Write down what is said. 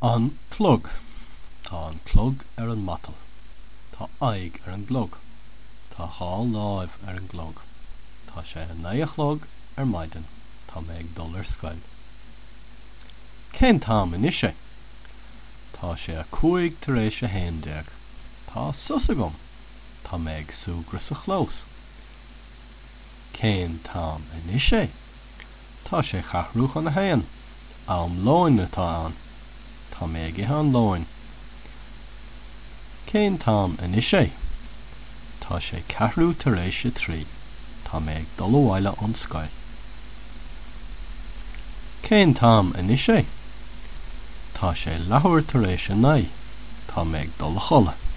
An clog. Tá an clog ar an matal. Tá aghaidh ar an gclog. Tá dha láimh ar an gclog. Tá sé a naoi a chlog ar maidin. Tá mé ag dul ar scoil. Cén t-am anois é? Tá sé a 11:05 tar éis. Tá sos agam. Tá mé ag súgradh sa chlós. Cén t-am anois é? Tá sé cheathrú chun a haon. Am lóin atá ann. Tá mé ag ithe an lóin. Cén t-am anois é? Tá sé ceathrú tar éis a trí. Tá mé ag dul abhaile ón scoil. Cén t-am anois é? Tá sé leathuair tar éis a naoi. Tá mé ag dul a chodladh.